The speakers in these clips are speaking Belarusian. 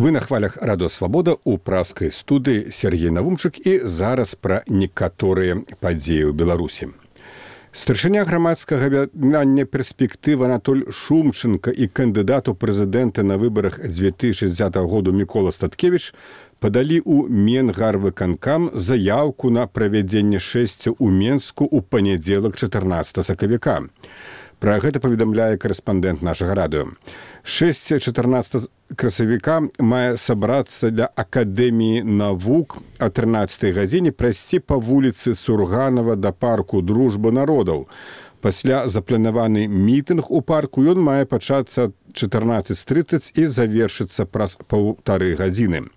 Вы на хвалях Радио Свабода у праскай студыі Сергей Навумчык і зараз пра некаторыя падзеі ў Беларусі. Старшыня грамадскага аб'яднання «Перспектыва» Анатоль Шумченко і кандыдат у прэзідэнта на выбарах 2060 году Мікола Статкевіч падалі ў Менгарвыканкам заяўку на правядзенне шэсця ў Менску ў панядзелак 14 сакавіка. Пра гэта паведамляе карэспандэнт нашага радыё. 6-14 красавіка мае сабрацца для Акадэміі навук о 13 гадзіне прайсці па вуліцы Сурганова да парку Дружба народаў. Пасля запланаваны мітынг у парку ён мае пачацца 14:30 і завершыцца праз 1,5 гадзіны.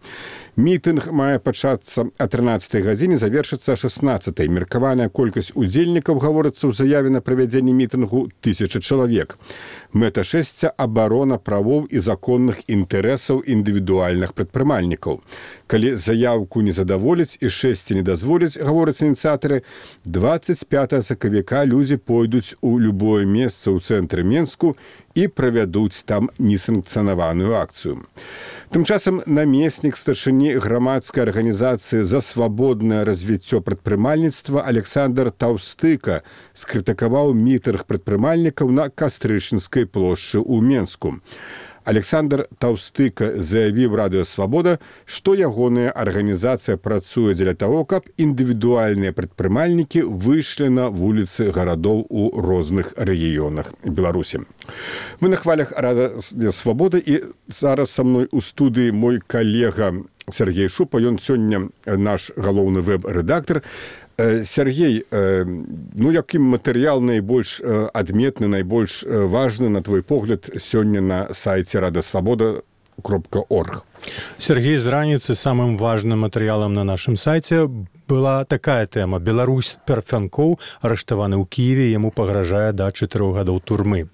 Мітынг мае пачацца о 13 гадзіне, завершыцца о 16. Меркаваная колькасць удзельнікаў, гаворыцца ў заяве на правядзенне мітынгу, 1000 чалавек. Мэта шэсця – абарона правоў і законных інтарэсаў індывідуальных прадпрымальнікаў. Калі заяўку не задаволяць і шэсце не дазволяць, гавораць ініцыятары, 25 сакавіка людзі пойдуць у любое месца ў цэнтры Менску і правядуць там несанкцыянаваную акцыю. Тым часам намеснік старшыні грамадскай арганізацыі за свабоднае развіццё прадпрымальніцтва Александр Таўстыка скрытыкаваў мітынг прадпрымальнікаў на Кастрычынскай плошчы ў Менску. Александр Таўстыка заявіў Радыё Свабода, што ягоная арганізацыя працуе дзеля таго, каб індывідуальныя прадпрымальнікі выйшлі на вуліцы гарадоў у розных рэгіёнах Беларусі. Мы на хвалях Радыё Свабода і зараз са мной у студыі мой калега Сергей Шупа, ён сёння наш галоўны вэб-рэдактар. Сергей, якім матэрыял найбольш адметны, найбольш важны, на твой погляд, сёння на сайце radosvoboda.org? Сергей, з раніцы самым важным матэрыялам на нашым сайце была такая тэма. Беларусь Парфянкоў арыштаваны ў Кіеве, яму пагражае да 4 гадоў турмы.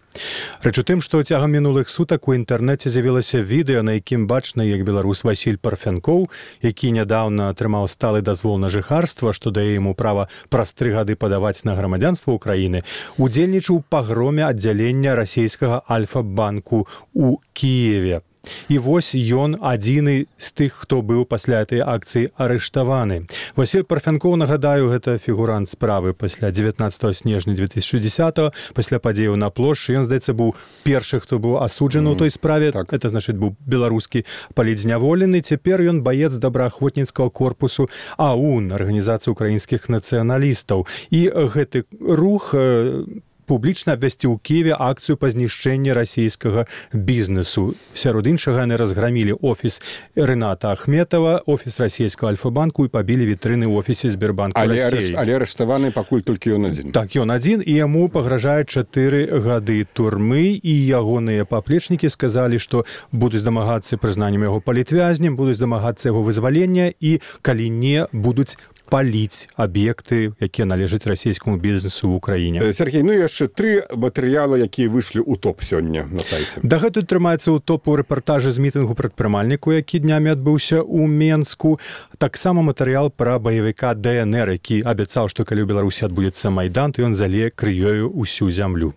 Рэч у тым, што цягам минулых сутак у інтэрнэце з'явілася відэа, на якім бачна, як беларус Васіль Парфянкоў, які нядаўна атрымаў сталы дазвол на жыхарства, што дае яму права праз 3 гады падаваць на грамадзянства ўкраіны, удзельнічаў у пагроме аддзялення расійскага Альфа-банку ў Кіеве. І вось ён адзіны з тых, хто быў пасля этой акцыі арыштаваны. Васіль Парфянкоў, нагадаю, гэта фігурант справы пасля 19 снежня 2010, пасля падзеяў на плошчы. Ён, здаецца, быў першы, хто быў асуджаны ў той справе. Так. Это, значыць, быў беларускі палітзняволены. Цяпер ён баец добраахвотніцкага корпусу АУН, арганізацыі украінскіх нацыяналістаў. І гэты рух публічна абвясціў у Киеве акцыю па знішчэнні расійскага бізнесу. Сярод іншага яны разграмілі офіс Рыната Ахметова, офіс расійскага Альфа-банку і пабілі вітрыны ў офісе Сбербанку Расіі. Але арыштаваны пакуль толькі ён адзін. Так, ён адзін, і яму пагражае 4 гады турмы, і ягоныя паплечнікі сказалі, што будуць дамагацца прызнаннем яго палітвязнем, будуць дамагацца яго вызвалення, і калі не, будуць паліць аб'екты, якія належаць расійскаму бізнесу ў Украіне. Сергей, яшчэ 3 матэрыялы, якія выйшлі ў топ сёння на сайце. Дагэтуль трымаецца ў топу рэпартажы з мітынгу прадпрымальніку, які днямі адбыўся ў Менску. Таксама матэрыял пра баевіка ДНР, які абяцаў, што калі ў Беларусі адбудзецца майдан, то ён залее крывёю ўсю зямлю.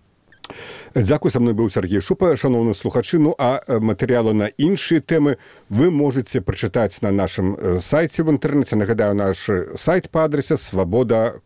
Дзякуй, са мной быў Сергей Шупа, шановны слухачы. А матэрыялы на іншыя тэмы вы можаце прачытаць на нашым сайце ў інтэрнэце. Нагадаю, наш сайт па адрасе svoboda.org.